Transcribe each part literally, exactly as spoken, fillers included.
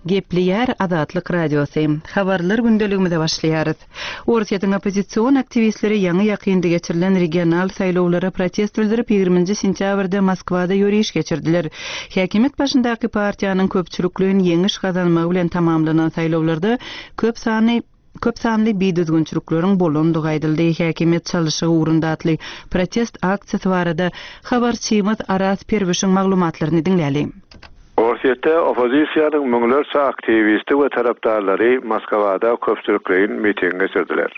Gepleýär Azatlyk Radiosy. Habarlar gündeligimize başlaýarys. Orsýetiň oppozision aktiwistleri ýaňy-ýakynda geçirilen regional saýlawlara protest bildirip, ýigriminji sentýabrda Moskwada ýöriş geçirdiler. Häkimiýet başyndaky partiýanyň köpçülikleýin ýeňiş gazanmagy bilen tamamlanan saýlawlarda köp sanly köp sanly bidüzgünçilikleriň bolandygy aýdyldy. Häkimiýet çalyşygy ugrunda atly protest aksiýasy barada habarçymyz Araz Perwişiň maglumatlaryny diňläli. Orsýetde oppozisiýanyň müňlerçe aktiwisti we tarapdarlary Moskwada köpçülikleýin miting geçirdiler.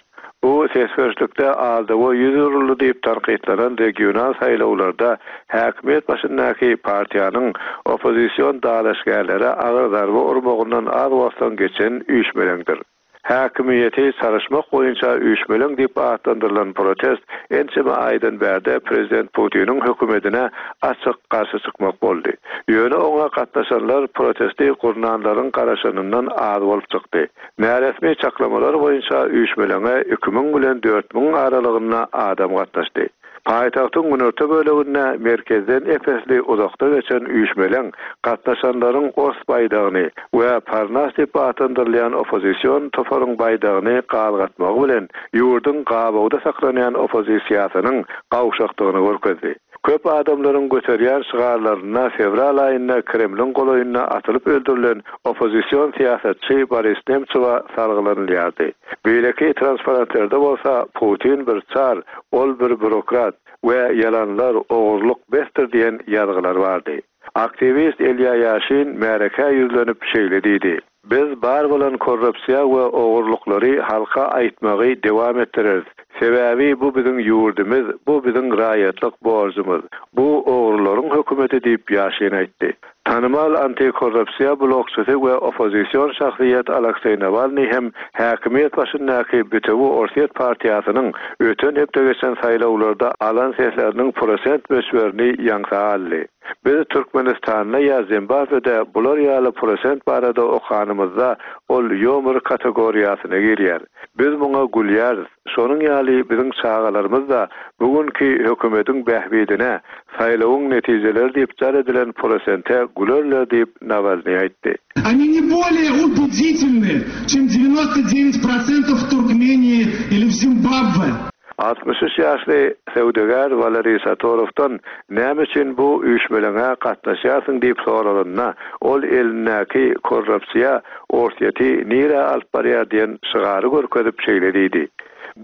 Bu ses berişlikde aldawa ýüz uruldy diýip tankytlanan regional saýlawlarda häkimiýet başyndaky partiýanyň oppozision dalaşgärlere agyr zarba urmagyndan az wagtdan geçen üýşmeleňdir. Häkimiýeti çalyşmak boýunça üýşmeleň diýip atlandyrylan protest ençeme aýdan bärde prezident Putiniň hökümetine açyk garşy çykmak boldy. Ýöne oňa gatnaşanlar protesti gurnanlaryň garaşanyndan az bolup çykdy. Näresmi çaklamalar boýunça üýşmeleňe iki müň bilen dört müň aralygynda adam gatnaşdy. Paýtagtyň günorta böleginde merkezden ep-esli uzakda geçen üýşmeleň gatnaşanlaryň ors baýdagyny we Parnas diýip atlandyrylýan oppozision toparyň baýdagyny galgatmagy bilen ýurduň gabawda saklanýan oppozisiýasynyň gawşakdygyny görkezdi. Köp adamlaryň göterýän şygarlaryna fewral aýynda Kremliň golaýynda atylyp öldürilen oppozision syýasatçy Boris Nemtsowa salgylanylýardy. Beýleki transparentlerde bolsa Putin bir çar, ol bir bürokrat we ýalanlar ogurlyk besdir diýen ýazgylar bardy. Aktiwist Ilýa Ýaşin märekä ýüzlenip şeýle diýdi: Biz bar bolan korrupsiýa we ogurlyklary halka aýtmagy dowam etdireris. Sebäbi bu biziň ýurdumyz, bu biziň raýatlyk borjumyz. Bu ogurlaryň hökümeti diýip Ýaşin aýtdy. Tanymal antikorrupsiýa blokçysy we oppozision şahsyýet Alekseý Nawalnyý hem häkimiýet başyndaky Bütewi Orsýet partiýasynyň öten hepde geçen saýlawlarda alan sesleriniň prosent möçberini ýaňsa aldy. Biz Türkmenistanda ýa Zimbabwede bular ýaly prosent barada okanymyzda ol ýomur kategoriýasyna girýär. Biz muňa gülýäris. Şonuň ýaly biziň çagalarymyz da bugünkü hökümetiň bähbidine saýlawyň netijeleri diýip jar edilen prosente gülerler diýip Nawalnyý aýtdy. Они не более убедительны, чем девяносто девять процентов в Туркмении или в Зимбабве. Altmyş üç ýaşly söwdagär Waleriý Satorowdan näme üçin bu üýşmeleňe gatnaşýarsyň diýip soralanda, ol elindäki korrupsiýa Orsýeti nirä alyp barýar diýen şygary görkezip şeýle diýdi.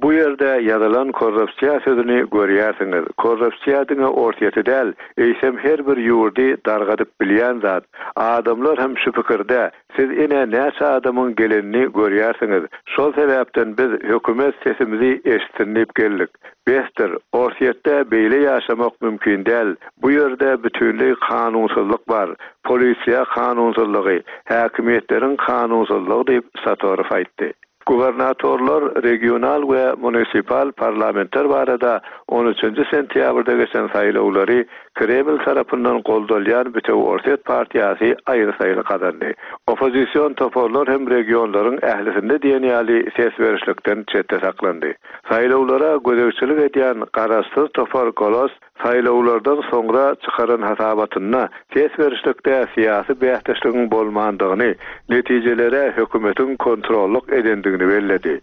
Bu ýerde ýazylan korrupsiýa sözüni görýärsiňiz. Korrupsiýa diňe Orsýeti däl, eýsem her bir ýurdy dargadyp bilýän zat. Adamlar hem şu pikirde, siz ine näçe adamyň gelenini görýärsiňiz. Şol sebäpden biz hökümet sesimizi eşitsin diýip geldik. Besdir, Orsýetde beýle ýaşamak mümkin däl. Bu ýerde bütünleý kanunsyzlyk bar. Polisiýa kanunsyzlygy, häkimiýetleriň kanunsyzlygy diýip Satorow aýtdy. Gubernatorlar, regional we munisipal parlamentler barada on üçünji sentýabrda geçen saýlawlary Kreml tarapyndan goldalýan Bütewi Orsýet partiýasy aýry-saýly gazandy. Oppozision toparlar hem regionlaryň ählisinde diýen ýaly ses berişlikden çetde saklandy. Saýlawlara gözegçilik edýän garaşsyz topar Golos saýlawlardan soňra çykaran hasabatynda ses berişlikde syýasy bäsdeşligiň bolmandygyny, netijelere hökümetiň kontrollyk edendigini belledi.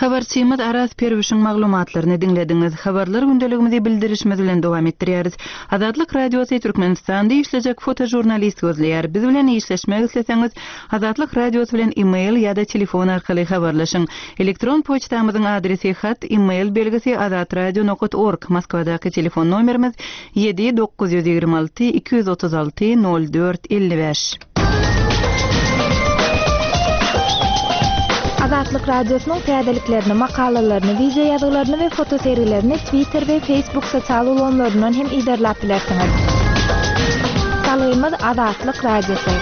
Habarçymyz Araz Perwişiň maglumatlaryny diňlediňiz. Habarlar gündeligimizi bildirişimiz bilen dowam etdirýäris. Azatlyk Radiosy Türkmenistanda işlejek fotožurnalist gözleýär. Biz bilen işleşmek isleseňiz, Azatlyk Radiosy bilen e-mail ýa-da telefon arkaly habarlaşyň. Elektron poçtamyzyň adresi hat e-mail belgisi azatradio nokta org. Moskwadaky telefon nomerimiz ýedi dokuz ýüz ýigrimi alty iki ýüz otuz alty nol dört elli bäş. Azatlyk Radiosynyň täzeliklerini, makalalaryny, video ýazgylaryny we fotosergilerini Twitter we Facebook sosial ulgamlaryndan hem iderläp bilersiňiz. Salgymyz Azatlyk Radiosy.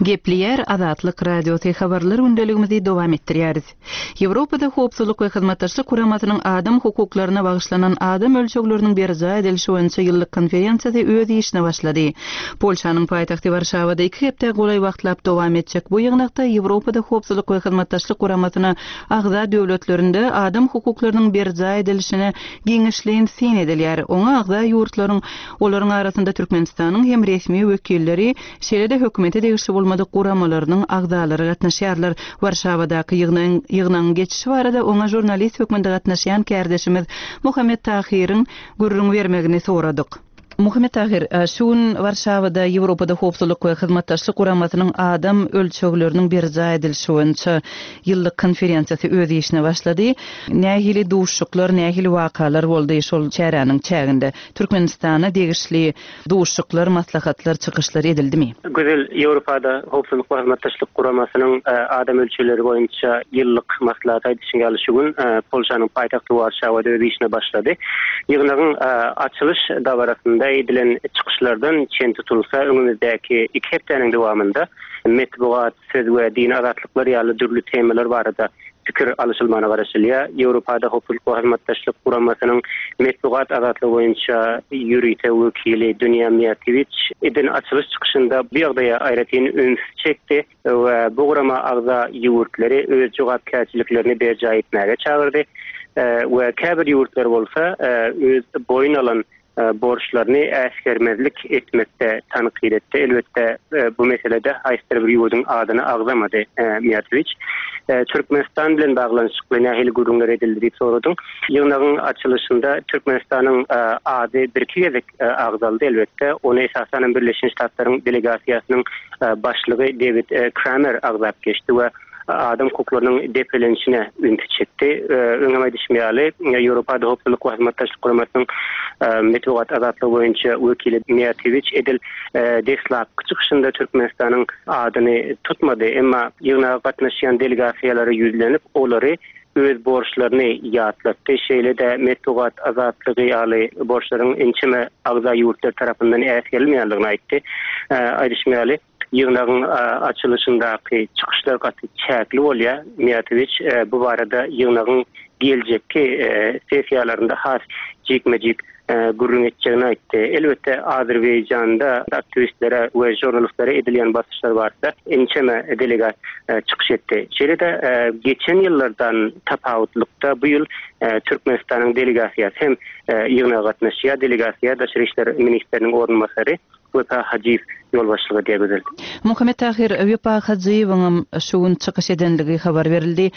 Gepleýär Azatlyk Radiosy habarlar gündeligimizi dowam etdirýäris. Ýewropada Howpsuzlyk we Hyzmatdaşlyk Guramasynyň adam hukuklaryna bagyşlanan adam ölçegleriniň berjaý edilişi boýunça ýyllyk konferensiýasy öz işine başlady. Polşanyň paýtagty Warşawada iki hepde golaý wagtlap dowam etjek bu ýygnakda Ýewropada Howpsuzlyk we Hyzmatdaşlyk Guramasyna agza döwletlerinde adam hukuklarynyň berjaý edilişine giňişleýin syn edilýär. Oňa agza ýurtlaryň, olaryň arasynda Türkmenistanyň hem resmi wekilleri, şeýle-de hökümete degişli bolmadyk guramalarynyň agzalary gatnaşýarlar. Warşawadaky ýygnagyň ýygnagyň geçişi barada oňa žurnalist hökmünde gatnaşýan kärdeşimiz Muhammet Tahyryň gürrüň bermegini soradyk. Muhammet Tahyr, şu gün Warşawada Ýewropada Howpsuzlyk we Hyzmatdaşlyk Guramasynyň adam ölçegleriniň berjaý edilişi boýunça ýyllyk konferensiýasy öz işine başlady. Nähili duşuşyklar, nähili wakalar boldy şol çäräniň çäginde? Türkmenistana degişli duşuşyklar, maslahatlar, çykyşlar edildimi? Gözel, Ýewropada Howpsuzlyk we Hyzmatdaşlyk Guramasynyň adam ölçegleri boýunça ýyllyk maslahat aýdyşyň ýaly şu gün Polşanyň paýtagty Warşawada öz işine başlady. Ýygnagyň açylyş dabarasynda edilen çykyşlardan çen tutulsa, öňümizdäki iki hepdäniň dowamynda metbugat, söz we dini azatlyklar ýaly dürli temalar barada pikir alyşylmagyna garaşylýar. Ýewropada Howpsuzlyk we Hyzmatdaşlyk Guramasynyň metbugat azatlygy boýunça ýörite wekili Dunýa Miýatewiç eden açylyş çykyşynda bu ýagdaýa aýratyn üns çekdi we bu gurama agza ýurtlary öz jogapkärçiliklerini berjaý etmäge çagyrdy we käbir ýurtlar bolsa öz boýun alan borçlaryny äsgermezlik etmekde tankyt etdi. Elbetde bu meselede haýsydyr bir ýurduň adyny agzamady Miýatewiç. Türkmenistan bilen baglanyşykly nähili gürrüňler edildi diýip soradyň. Ýygnagyň açylyşynda Türkmenistanyň ady bir-iki gezek agzaldy elbetde. Ony esasanam Birleşen Ştatlaryň delegasiýasynyň başlygy Dewid Kramer agzap geçdi we adam hukuklarynyň depelenişine ünsi çekdi. Öňem aýdyşym ýaly, Ýewropada Howpsuzlyk we Hyzmatdaşlyk Guramasynyň metbugat azatlygy boýunça wekili Miýatewiç edil deslapky çykyşynda Türkmenistanyň adyny tutmady, emma ýygnaga gatnaşýan delegasiýalara ýüzlenip, olary öz borçlaryny ýatlatdy. Şeýle-de metbugat azatlygy ýaly borçlaryň ençeme agza ýurtlar tarapyndan äsgerilmeýändigini aýtdy. Aýdyşym ýaly, ýygnagyň açylyşyndaky çykyşlar gaty çäkli bolýar. Miýatewiç bu barada ýygnagyň geljekki sessiýalarynda has jikme-jik gürrüň etjegini aýtdy. Elbetde Azerbaýjanda aktiwistlere we žurnalistlere edilýän basyşlar barada ençeme delegat çykyş etdi. Şeýle-de geçen ýyllardan tapawutlykda bu ýyl Türkmenistanyň delegasiýasy hem ýygnaga gatnaşýar. Delegasiýa Daşary işler ministriniň orunbasary Wepa Hajyýew ýolbaşçylyk edýär Gözel. Muhammet Tahyr, Wepa Hajyýewiň şu gün çykyş edenligi habar berildi.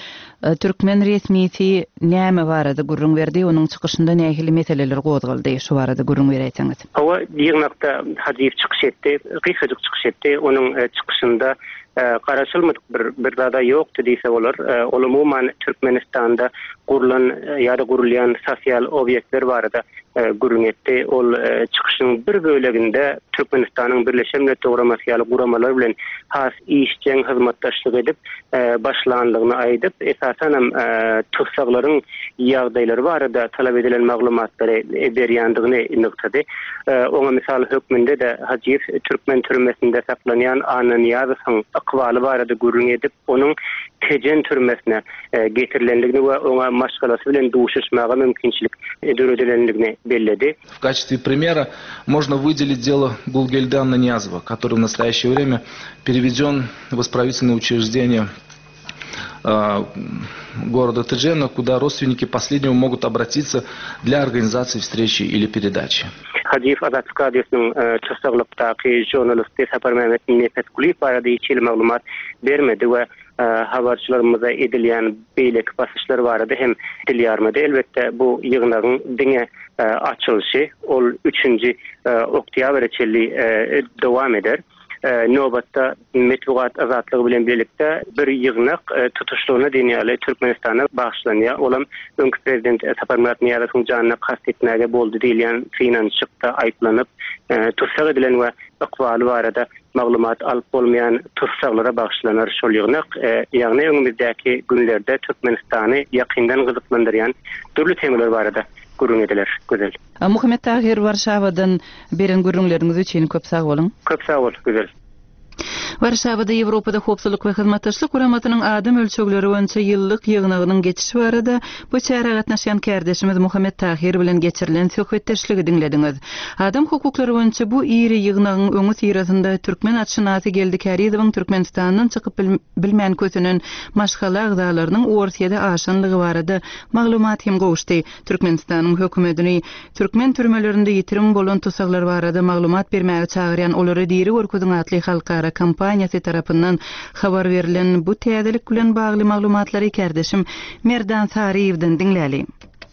Türkmen resmisi näme barada gürrüň berdi? Onuň çykyşynda nähili meseleler gozgaldy? Şu barada gürrüň beräýseňiz. Hawa, ýygnakda Hajyýew çykyş etdi, gysgajyk çykyş etdi. Onuň çykyşynda garaşylmadyk bir bir zada ýokdy diýse bolar. Ol umuman Türkmenistanda gurlan ýa-da gurulýan sosial obýektler barada gürrüň etdi. Ol çykyşyň bir böleginde Türkmenistanyň Birleşen Milletler Guramasy ýaly guramalar bilen has işjeň hyzmatdaşlyk edip başlanlygyny aýdyp, esasanam tussaglaryň ýagdaýlary barada talap edilen maglumatlary berýändigini nygtady. Oňa mysal hökmünde-de Hajyýew türkmen türmesinde saklanýan Anna Niýazowyň ykbaly barada gürrüň edip, onuň Tejen türmesine getirilendigini we oňa maşgalasy bilen duşuşmaga mümkinçilik döredilendigini belledi. В качестве примера можно выделить дело Гулгельды Аннаньязова, который в настоящее время переведен в исправительное учреждение города Теджена, куда родственники последнего могут обратиться для организации встречи или передачи. Hajyýew Azatlyk Radiosynyň tussaglykdaky žurnalisti Saparmämmet Nepesgulyýew barada hiç hili maglumat bermedi we habarçylarymyza edilýän beýleki basyşlar barada hem dil ýarmady. Elbetde bu ýygnagyň diňe açylyşy, ol üçünji oktýabra çenli dowam eder. Nobatda metbugat azatlygy bilen birlikde bir ýygnak tutuşlygyna diýen ýaly Türkmenistana bagyşlanýar. Olam öňki prezident Saparmyrat Nyýazowyň janyna kast etmäge boldy diýilýän synanyşykda aýyplanyp, tussag edilen we ykbaly barada maglumat alyp bolmaýan tussaglara bagyşlanar şol ýygnak. Ýagny öňümizdäki günlerde Türkmenistany ýakyndan gyzyklandyrýan dürli temalar barada gürrüň ediler. Gözel. Muhammet Tahyr, Warşawadan beren gürrüňleriňiz üçin köp sag boluň. Köp sag bol, Gözel. Warşawada Ýewropada Howpsuzlyk we Hyzmatdaşlyk Guramasynyň adam ölçegleri boýunça ýyllyk ýygnagynyň geçişi barada bu çärä gatnaşýan kärdeşimiz Muhammet Tahir bilen geçirilen söhbetdeşligi diňlediňiz. Adam hukuklary boýunça bu iri ýygnagyň öňüsyrasynda türkmen atşynasy Geldi Kärizowyň Türkmenistandan çykyp bilmän kösenen maşgala agzalarynyň Orsýede aşanlygy barada maglumat hem gowuşdy. Türkmenistanyň hökümetini türkmen türmelerinde ýitirim bolan tussaglar barada maglumat bermäge çagyrýan Olary diri görkeziň atly halkara kampaniýasy tarapyndan habar berlen bu täzelik bilen bagly maglumatlary kärdeşim Merdan Saryýewden diňläli.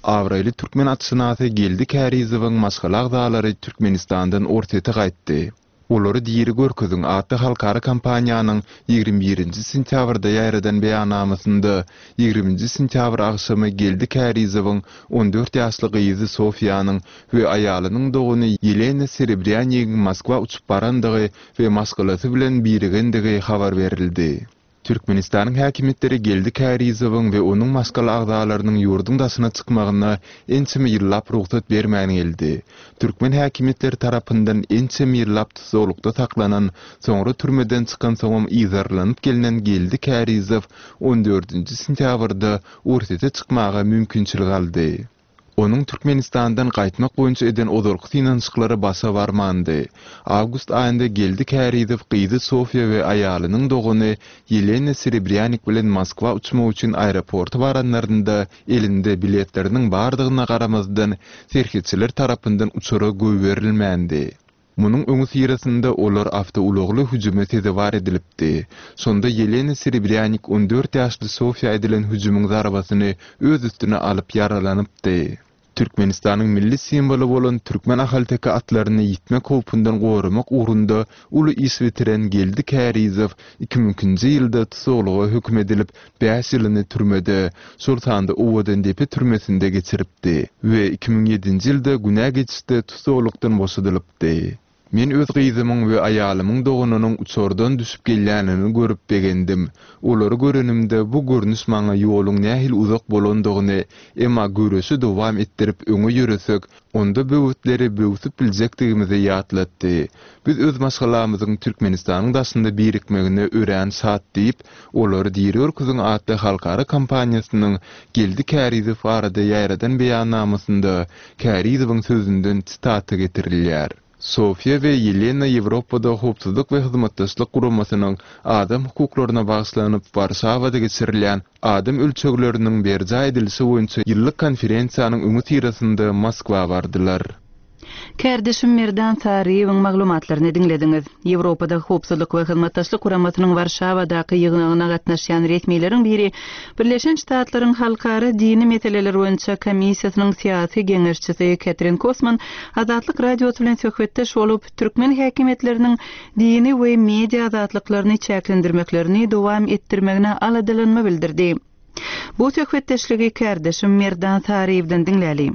Abraýly türkmen atşynasy Geldi Kärizowyň maşgala agzalary Türkmenistandan Orsýete gaýtdy. Olary diri görkeziň atly halkara kampaniýanyň ýigrimi birinji sentýabrda ýaýradan beýannamasynda ýigriminji sentýabr agşamy Geldi Kärizowyň on dört ýaşly gyzy Sofiýanyň we aýalynyň dogany Ýelena Serebrýanigiň Moskwa uçup barandygy we maşgalasy bilen birigendigi habar berildi. Türkmenistanyň häkimiýetleri Geldi Kärizowyň we onuň maşgala agzalarynyň ýurduň daşyna çykmagyna ençeme ýyllap rugsat bermän geldi. Türkmen häkimiýetleri tarapyndan ençeme ýyllap tussaglykda saklanan, soňra türmeden çykansoňam yzarlanyp gelnen Geldi Kärizow on dördünji sentýabrda Orsýete çykmaga mümkinçilik aldy. Onuň Türkmenistandan gaýtmak boýunça eden ozalky synanyşyklary başa barmandy. Awgust aýynda Geldi Kärizow gyzy Sofiýa we aýalynyň dogany Ýelena Serebrýanik bilen Moskwa uçmak üçin aeroporta baranlarynda elinde biletleriniň bardygyna garamazdan serhetçiler tarapyndan uçara goýberilmändi. Munuň öňüsyrasynda olar awtoulagly hüjüme sezewar edilipdi. Şonda Ýelena Serebrýanik on dört ýaşly Sofiýa edilen hüjümiň zarbasyny öz üstüne alyp ýaralanypdy. Türkmenistanyň milli simwoly bolan türkmen ahalteke atlaryny ýitmek howpundan goramak ugrunda uly iş bitiren Geldi Kärizow iki müň ikinji ýylda tussaglyga höküm edilip, bäş ýylyny türmede, şol sanda Owadandepe türmesinde geçiripdi we iki müň ýedinji ýylda günä geçişde tussaglykdan boşadylypdy. Men öz gyzymyň we aýalymyň doganynyň uçardan düşüp gelýänini görüp begendim. Olary görenimde bu görnüş maňa ýoluň nähili uzak bolandygyny, emma göreşi dowam etdirip öňe ýöresek, onda böwütleri böwsüp biljekdigimizi ýatlatdy. Biz öz maşgalamyzyň Türkmenistanyň daşynda birikmegine örän şat diýip, olary diri görkeziň atly halkara kampaniýasynyň Geldi Kärizow barada ýaýradan beýannamasynda Kärizowyň sözünden sitata getirilýär. Sofiýa we Ýelena Ýewropada Howpsuzlyk we Hyzmatdaşlyk Guramasynyň adam hukuklaryna bagyşlanyp Warşawada geçirilýän adam ölçegleriniň berjaý edilişi boýunça ýyllyk konferensiýanyň öňüsyrasynda Moskwa bardylar. Kärdeşim Merdan Saryýewiň maglumatlaryny diňlediňiz. Ýewropada Howpsuzlyk we Hyzmatdaşlyk Guramasynyň Warşawadaky ýygnagyna gatnaşýan resmileriň biri Birleşen Ştatlaryň Halkara dini meseleler boýunça komissiýasynyň syýasy geňeşçisi Ketrin Kosman Azatlyk Radiosy bilen söhbetdeş bolup, türkmen häkimiýetleriniň dini we media azatlyklaryny çäklendirmeklerini dowam etdirmegine aladalanma bildirdi. Bu söhbetdeşligi kärdeşim Merdan Saryýewden diňläli.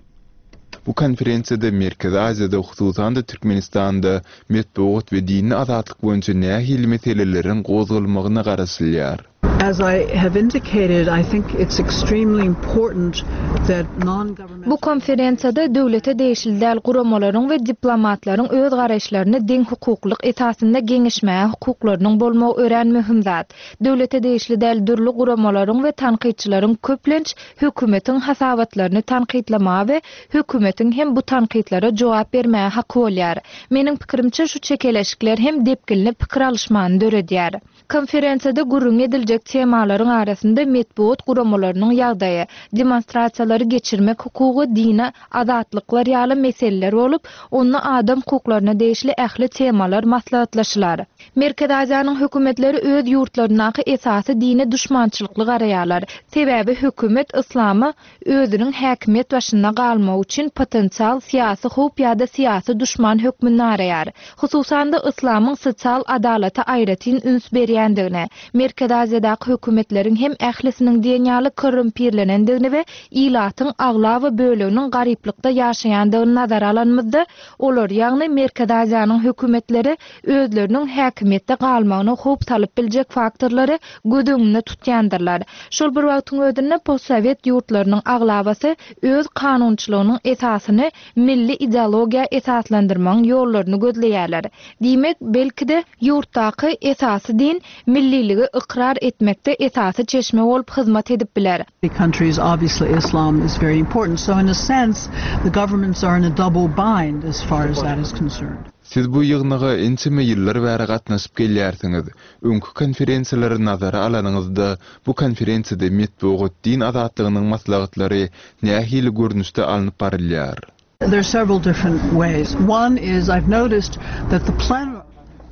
Bu konferensiýada Merkezi Aziýada, hususan-da Türkmenistanda metbugat we dini azatlyk boýunça nähili meseleleriň gozgalmagyna garaşylýar. As I have indicated, I think it's extremely important that non-governmental Bu konferensiýada döwlete degişli däl guramalaryň we diplomatlaryň öz garaýyşlaryny deň hukuklyk esasynda geňeşmäge hukuklarynyň bolmagy örän möhüm zat. Döwlete degişli däl dürli guramalaryň we tankytçylaryň köplenç hökümetiň hasabatlaryny tankytlamaga we hökümetiň hem bu tankytlara jogap bermäge haky bolýar. Meniň pikirimçe şu çekeleşikler hem depginli pikir alyşmany döredýär. Konferensiýada gürrüň ediljek temalaryň arasynda metbugat guramalarynyň ýagdaýy, demonstrasiýalary geçirmek hukugy, dini azatlyklar ýaly meseleler bolup, onda adam hukuklaryna degişli ähli temalar maslahatlaşylar. Merkezi Aziýanyň hökümetleri öz ýurtlaryndaky esasy dine duşmançylykly garaýarlar. Sebäbi hökümet yslama özüniň häkimiýet başynda galmagy üçin potensial syýasy howp ýa-da syýasy duşman hökmünde araýar. Hususan-da yslamyň sosial adalata aýratyn üns berýändigini, Merkezi Aziýadaky hökümetleriň hem ählisiniň diýen ýaly korrumpirlenendigini we ilatyň aglaba böleginiň garyplykda ýaşaýandygyny nazara alanymyzda, olar, ýagny Merkezi Aziýanyň hökümetleri özleriniň häkimiýetde galmagyna howp salyp biljek faktorlary göz öňünde tutýandyrlar. Şol bir wagtyň özünde postsowet ýurtlarynyň aglabasy öz kanunçylygynyň esasyny milli ideologiýa esaslandyrmagyň ýollaryny gözleýärler. Diýmek, belki-de, ýurtdaky esasy din milliligi ykrar etmekde esasy çeşme bolup hyzmat edip biler. Countries, obviously Islam is very important. So in a sense, the governments are in a double bind as far as that is concerned. Siz bu ýygnaga ençeme ýyllar bäri gatnaşyp gelýärsiňiz. Öňki konferensiýalary nazara alanyňyzda, bu konferensiýada metbugat din azatlygynyň maslahatlary nähili görnüşde alnyp barylýar? There are several different ways. One is I've noticed that the plenary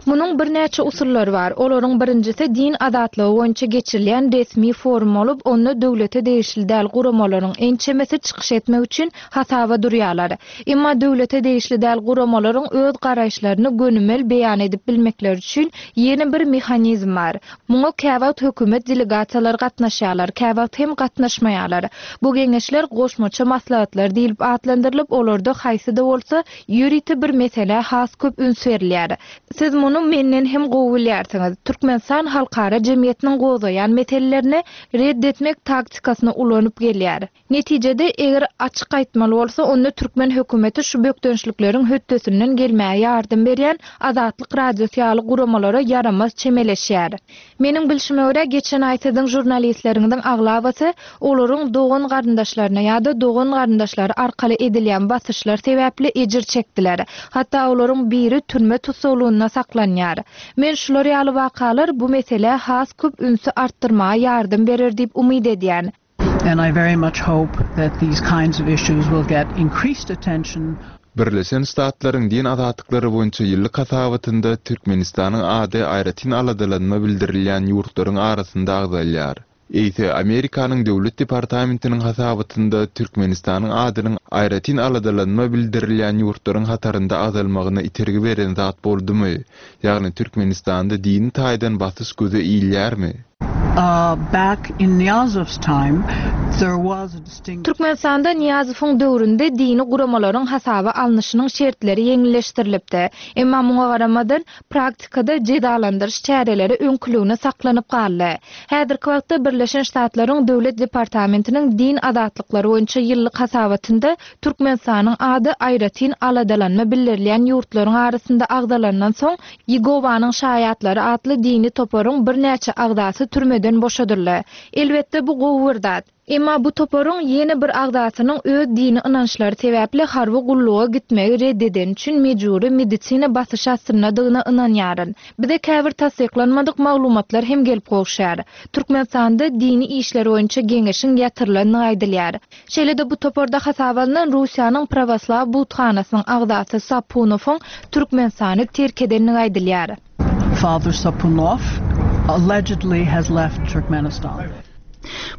Munuň birnäçe usullary bar. Olaryň birinjisi din azatlygy boýunça geçirilýän resmi forum bolup, onda döwlete degişli däl guramalaryň ençemesi çykyş etmek üçin hasaba durýarlar. Emma döwlete degişli däl guramalaryň öz garaýyşlaryny gönümel beýan edip bilmekleri üçin ýene bir mehanizm bar. Muňa käwagt hökümet delegasiýalary gatnaşýarlar, käwagt hem gatnaşmaýarlar. Bu geňeşler goşmaça maslahatlar diýlip atlandyrylyp, olarda haýsy-da bolsa ýörite bir meselä has köp üns berilýär. Siz muny menden hem gowy bilýärsiňiz. Türkmenistan halkara jemgyýetiniň gozgaýan meselelerini red etmek taktikasyny ulanyp gelýär. Netijede, eger açyk aýtmaly bolsa, onda türkmen hökümeti şu bökdençlikleriň hötdesinden gelmäge ýardam berýän Azatlyk Radiosy ýaly guramalara ýaramaz çemeleşýär. Meniň bilşime görä, geçen aý siziň žurnalistleriňiziň aglabasy olaryň dogan garyndaşlaryna ýa-da dogan garyndaşlary arkaly edilýän basyşlar sebäpli ejir çekdiler. Hatda olaryň biri türme tussaglygynda saklanýar. Men şular ýaly wakalar bu meselä has köp ünsi artdyrmaga ýardam berer diýip umyt edýän. And I very much hope that these kinds of issues will get increased attention. Birleşen Ştatlaryň din azatlyklary boýunça ýyllyk hasabatynda Türkmenistanyň ady aýratyn aladalanma bildirilýän ýurtlaryň arasynda agzalýar. Eýse Amerikanyň Döwlet departamentiniň hasabatynda Türkmenistanyň adynyň aýratyn aladalanma bildirilýän ýurtlaryň hatarynda agzalmagyna itergi beren zat boldumy? Ýagny Türkmenistanda dini taýdan basyş göze ilýärmi? Uh, back in Niyazov's time, there was a distinct Türkmenistanda Niýazowyň döwründe dini guramalaryň hasaba alnyşynyň şertleri ýeňilleşdirilipdi. Emma muňa garamadan praktikada jezalandyryş çäreleri öňküligine saklanyp galdy. Häzirki wagtda Birleşen Ştatlaryň Döwlet departamentiniň din azatlyklary boýunça ýyllyk hasabatynda Türkmenistanyň ady aýratyn aladalanma bildirilýän ýurtlaryň arasynda agzalandan soň Ýegowanyň şaýatlary atly dini toparyň birnäçe agzasy türmeden boşadyldy. Elbetde bu gowy bir zat. Emma bu toparyň ýene bir agzasynyň öz dini ynançlary sebäpli harby gulluga gitmegi red edeni üçin mejbury medisina basyş astyndadygyna ynanýaryn. Bize käbir tassyklanmadyk maglumatlar hem gelip gowuşýar. Türkmenistanda dini işler boýunça geňeşiň ýatyrylandygy aýdylýar. Şeýle-de bu toparda hasaba alnan Russiýanyň Pravoslav buthanasynyň agzasy Sapunowyň Türkmenistany terk edenligi aýdylýar. Father Sapunov allegedly has left Turkmenistan.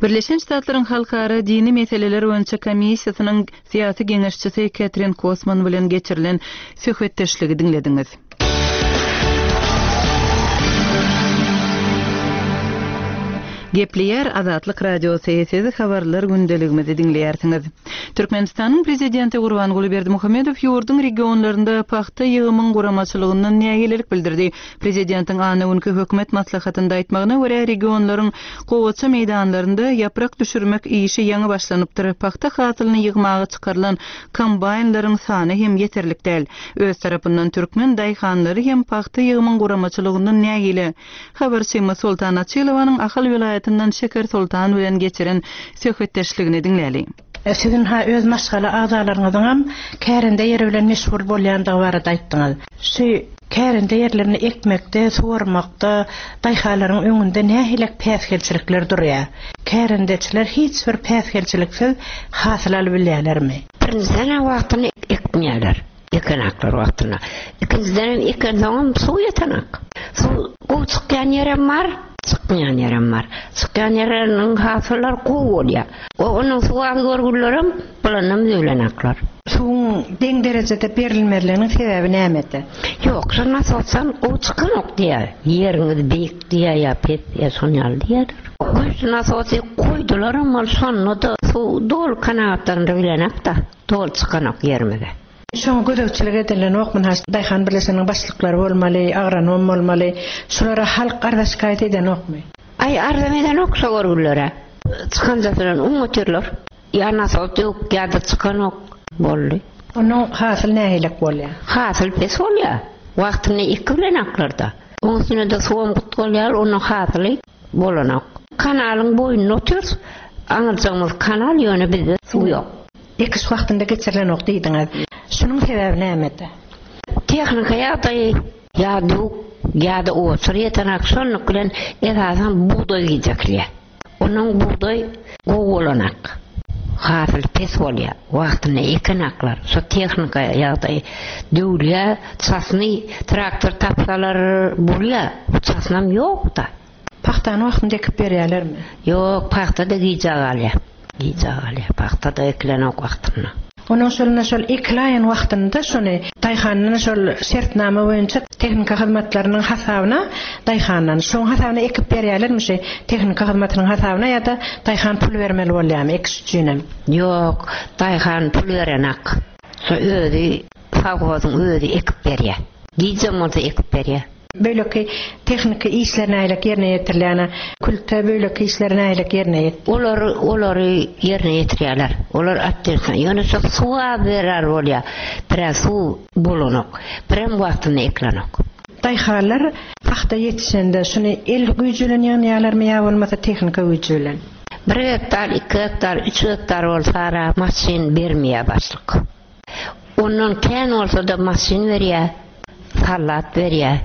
Birleşen Ştatlaryň Halkara dini meseleler boýunça komissiýasynyň syýasy geňeşçisi Ketrin Kosman bilen geçirilen söhbetdeşligi diňlediňiz. Gepleýär Azatlyk Radiosy, siz habarlar gündeligimizi diňleýärsiňiz. Türkmenistanyň prezidenti Gurbanguly Berdimuhamedow ýurduň regionlarynda pagta ýygymyň guramaçylygyndan nägilelik bildirdi. Prezidentiň anna günki hökümet maslahatynda aýtmagyna görä regionlaryň gowaça meýdanlarynda ýaprak düşürmek işi ýaňy başlanypdyr. Pagta hasylyny ýygmaga çykarylan kombaýnlaryň sany hem ýeterlik däl. Öz tarapyndan türkmen daýhanlary hem pagta ýygymyň guramaçylygyndan nägile. Habarçymyz Soltan Açylowanyň Ahal welaýatyndan Şeker Soltan bilen geçiren söhbetdeşligini diňläli. Siziň ha öz maşgala agzalaryňyzyň kärende ýeri bilen meşgul bolýandygy barada aýtdyňyz. Şu kärende ýerlerini ekmekde, suwarmakda daýhanlaryň öňünde nähili päsgelçilikler durýar? Kärendeçiler hiç bir päsgelçiliksiz hasyl alyp bilýärlermi? Birinjiden wagtyny ekmeýärler. Ekenaklar wagtyna. Ikinjiden eken soňam suw ýetenak. Suw gowy çykýan ýerem bar, çykmaýan ýerem bar. Çykýan ýerleriniň hasyllar gowy bolýar. O onuň suw az görgüllerim bulanam zöwlenaklar. Suwuň deň derejede berilmezliginiň sebäbi nämede? Ýok, şo nasosdan gowy çykanok diýär. Ýeriňiz beýik diýär ýa pes diýär, şon ýaly diýär. Güýçli nasosy goýdular amma şonda-da suw doly kanagatlandyryp bilenok-da, doly çykanok ýerimize. Şoňa gözegçilik edilenokmy? Has daýhan birleşiginiň başlyklary bolmaly, agronom bolmaly. Şulara halk arza şikaýat edenokmy? Aý, arzam edenok şo görgülere. Çykanjasyndan un otyrlar. Ýa nasos ýok, ýa-da çykanok. Boldy. Onuň hasyl nähilek bolýar? Hasyl pes bolýar. Wagtynda eki bilen aklarda. Oň üstüne-de suwam gyt bolýar, onuň hasyly bolanok. Kanalyň boýunda otyrys. Aňyrjagymyz kanal, ýöne bizde suw ýok. Ekiş wagtynda geçirilenok diýdiňiz. Şunuň sebäbi nämede? Tehnika ýagdaýy ýa döwük, ýa-da oçur ýetenak. Şonluk bilen esasan bugdaý gijekilýär. Onuň bugdaý gowy bolanak. Hasyl pes bolýar. Wagtynda ekenaklar. Şo tehnika ýagdaýy döwülýär. Çasny traktor tapsalar bolýar. Çasnam ýok-da. Pagtany wagtynda ekip berýärlermi? Ýok, pagta-da gijä galýar. Gijä galýar. Pagta-da ekilenok wagtynda. Onuň şoluna şol ekiläýen wagtynda şony daýhandan şol şertnama boýunça tehnika hyzmatlarynyň hasabyna daýhandan şoň hasabyna ekip berýärlermi şu tehnika hyzmatynyň hasabyna ýa-da daýhan pul bermeli bolýarmy ekiş üçinem? Ýok, daýhan pul berenak. Şo özi sowhozyň özi ekip berýär. Gijem bolsa ekip berýär. Beýleki tehniki işler nähili ýerine ýetirilýär? Külte beýleki işler nähili ýerine ýet? Olar olary ýerine ýetirýärler. Olar atdyrsa, ýöne şo suwa berer bolýar. Biraz suw bolanok. Birem wagtynda ekilenok. Daýhanlar pagta ýetişende şuny el güýji bilen ýygnaýarlarmy ýa bolmasa tehnika güýji bilen? Bir gektar, iki gektar, üç gektar bolsa ara maşyn bermeýär başlyk. Ondan kän bolsa-da maşyn berýär, sallat berýär.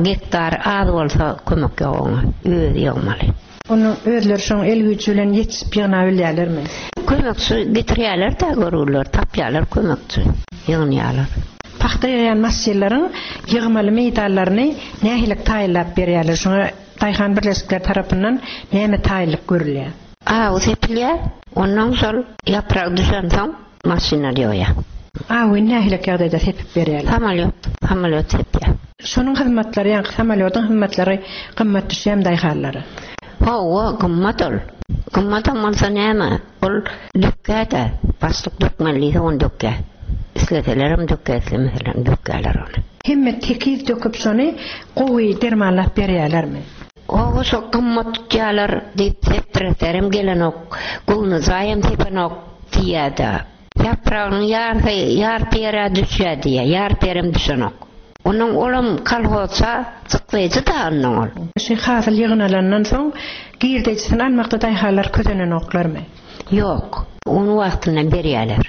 Gektar az bolsa kömek ýok oňa, özi ýygmaly. Onuň özleri şoň el güýji bilen ýetişip ýygna bilýärlermi? Kömekçi getirýärler-de görgüler, tapýarlar kömekçi, ýygnaýarlar. Pagta ýygýan maşynlaryň ýygmaly meýdanlaryny nähili taýynlap berýärler? Şoňa daýhan birleşikleri tarapyndan näme taýynlyk görülýär? Aw sepilýär, ondan şol ýaprak düşensoň maşynlar ýygýar. Awy nähili ýagdaýda sepip berýärler? Samolýot, samolýot sepýär. Şonuň hyzmatlary, ýa samolýotyň hyzmatlary gymmat düşýär daýhanlara? Hawa, gymmat ol. Gymmat bolsa näme? Ol dökýär-de, başlyk dökmeli diýse ony dökýär. Isleselerem dökýär, islemeselerem dökýärler ony. Hemme tekiz döküp şony gowy dermanlap berýärlermi? Owa, şo gymmat tutýarlar diýip sepdireserim gelenok, göwni jaýam sepenok diýýär-de. Ýapragynyň ýarpy, ýarpy ýere düşýär diýýär, ýarpy ýerem düşenok. Onuň olam kolhoza çykdyjy da ondan ol. Şu hasyl ýygnalandan soň girdejisini almakda daýhanlar közenenoklarmy? Ýok, ony wagtynda berýärler.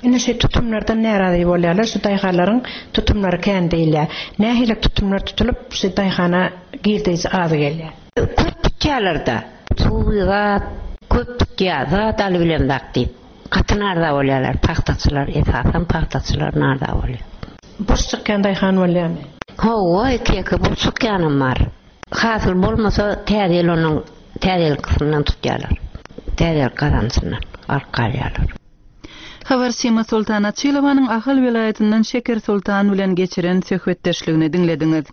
Indi şu tutumlardan närazy bolýarlar, şu daýhanlaryň tutumlary kän diýilýär. Nähili tutumlar tutulyp, şu daýhana girdeji az gelýär? Köp tutýarlar-da. Suwy zat köp tutýar, zat alyp bilen zat diýip. Gaty narda bolýarlar, pagtaçylar, esasan pagtaçylar narda bolýar. Boş çykýan daýhan bolýarmy? Hawa, iki-iki boş çykýanam bar. Hasyl bolmasa täze ýyl onuň täze ýyl kysmyndan tutýarlar. Täze ýyl gazançyndan alyp galýarlar. Habarçymy Sultan Açylowanyň Ahal welaýatyndan Şeker Sultan bilen geçiren söhbetdeşligini diňlediňiz.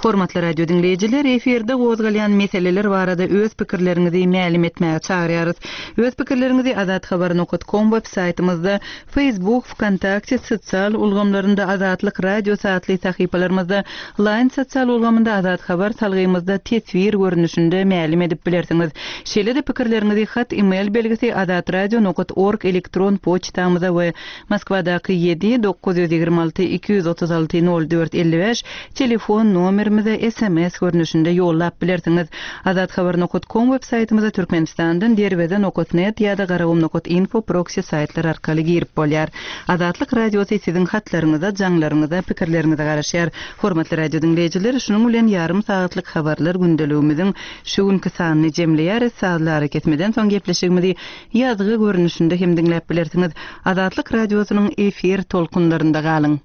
Hormatly radio diňleýjiler, efirde gozgalýan meseleler barada öz pikirleriňizi mälim etmäge çagyrýarys. Öz pikirleriňizi azathabar nokta com web saýtymyzda, Facebook, VKontakte sosial ulgamlarynda Azatlyk Radiosy atly sahypalarymyzda, Line sosial ulgamynda Azat Habar salgymyzda teswir görnüşinde mälim edip bilersiňiz. Şeýle-de pikirleriňizi hat e-mail belgisi azatradio nokta org elektron poçtamyza we Moskwadaky ýedi dokuz ýüz ýigrimi alty iki ýüz otuz alty nol dört elli bäş telefon nomerimize S M S görnüşinde ýollap bilersiňiz. Azathabar nokta com web saýtymyza Türkmenistandan derweze nokta net ýa-da garagum nokta info proxy saýtlar arkaly girip bolýar. Azatlyk Radiosy siziň hatlaryňyza, jaňlaryňyza, pikirleriňize garaşýar. Hormatly radio diňleýjiler, şunuň bilen ýarym sagatlyk habarlar gündeligimiziň şu günki sanyny jemleýäris. Sazlary kesmeden soň gepleşigimizi ýazgy görnüşinde hem diňläp bilersiňiz. Azatlyk Radiosynyň efir tolkunlarynda galyň.